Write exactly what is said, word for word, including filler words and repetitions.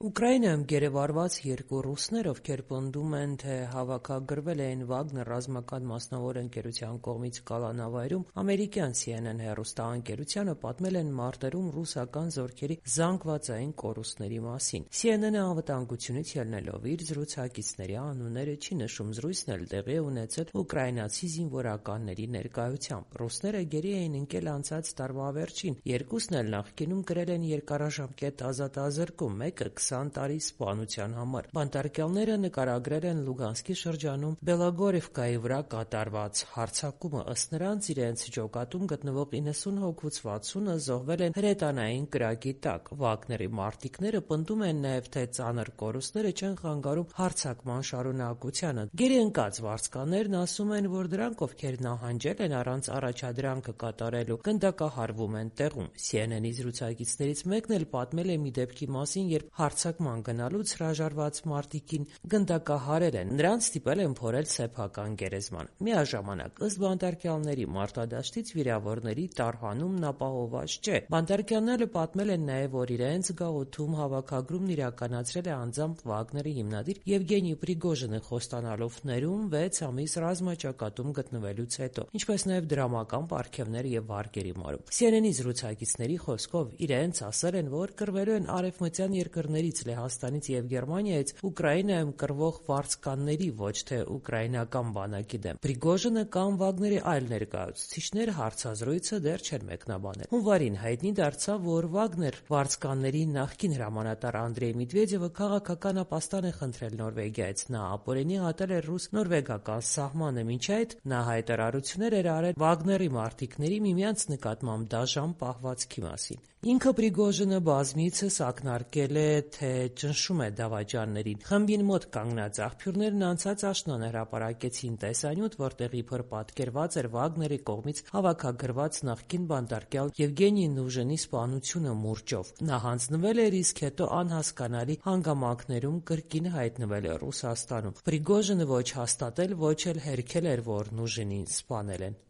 Ուկրաինայում գերեվարված երկու ռուսներ, ովքեր պնդում են, թե հավաքագրվել էին Վագներ ռազմական մասնավոր ընկերության կողմից կալանավայրում, ամերիկյան C N N հեռուստաընկերությանը պատմել են մարտերում ռուսական զորքերի զանգվածային կորուստների մասին։ C N N-ը անվտանգությունից ելնելով իր զրուցակիցների անունները չի նշում, զրույցն էլ տեղի է ունեցել ուկրաինացի զինվորականների ներկայությամբ։ Ռուսները գերի էին ընկել անցած տարվա վերջին, երկուսն էլ նախկինում կրել են երկարաժամկետ ազատազրկում, մեկը քսան տարի սպանության համար։ Բանտարկյալները նկարագրել են Լուգանսկի շրջանում Բելոգորիվկայի վրա կատարված հարձակումը։ Ըստ նրանց, իրենց ջոկատում գտնվող իննսուն հոգուց վաթսունը զոհվել են հրետանային կրակի տակ։ Վագների մարտիկները պնդում են նաև, թե ծանր կորուստները չեն խանգարում հարձակման շարունակությանը։ Գերի ընկած վարձկաններն ասում են, որ դրանք, ովքեր նահանջել են առանց առաջադրանքը կատարելու, գնդակահարվում են տեղում։ C N N-ի զրուցակիցներից մեկն էլ պատմել է մի դեպքի մասին, երբ հարձակման գնալուց հրաժարված մարտիկին գնդակահարել են, նրան ստիպել են փորել սեփական գերեզման։ Միաժամանակ, ըստ բանտարկյալների, մարտադաշտից վիրավորների տարհանումն ապահովված չէ։ Բանտարկյալները պատմել են նաև, որ իրենց գաղութում հավաքագրումն իրականացրել է անձամբ Վագների հիմնադիր Եվգենի Պրիգոժինը, խոստանալով ներում վեց ամիս ռազմաճակատում գտնվելուց հետո, ինչպես նաև դրամական պարգևներ և վարկերի մարում։ C N N-ի զրուցակիցների խոսքով, իրենց ասել են, որ կռվելու են արևմտյան երկրներից Լեհաստանից և Գերմանիայից Ուկրաինայում կռվող վարձկանների, ոչ թե ուկրաինական բանակի դեմ։ Պրիգոժինը կամ Վագների այլ ներկայացուցիչներ հարցազրույցը դեռ չեն մեկնաբանել։ Հունվարին հայտնի դարձավ, որ Վագներ վարձկանների նախկին հրամանատար Անդրեյ Մեդվեդևը քաղաքական ապաստան է խնդրել Նորվեգիայից։ Նա ապօրինի հատել է ռուս-նորվեգական սահմանը։ Մինչ այդ նա հայտարարություններ էր արել Վագների մարտիկների միմյանց նկատմամբ դաժան պահվածքի մասին։ Ինքը Պրիգոժինը բազմիցս ակնարկել է, թե ճնշում է դավաճաններին։ Խմբին մոտ կանգնած աղբյուրներն անցած աշնանը հրապարակեցին տեսանյութ, որտեղ իբր պատկերված էր Վագների կողմից հավաքագրված նախկին բանտարկյալ Եվգենի Նուժինի սպանությունը մուրճով։ Նա հանձնվել էր, իսկ հետո անհասկանալի հանգամանքներում կրկին հայտնվել է Ռուսաստանում։ Պրիգոժինը ոչ հաստատել, ոչ էլ հերքել էր, որ Նուժինին սպանել են։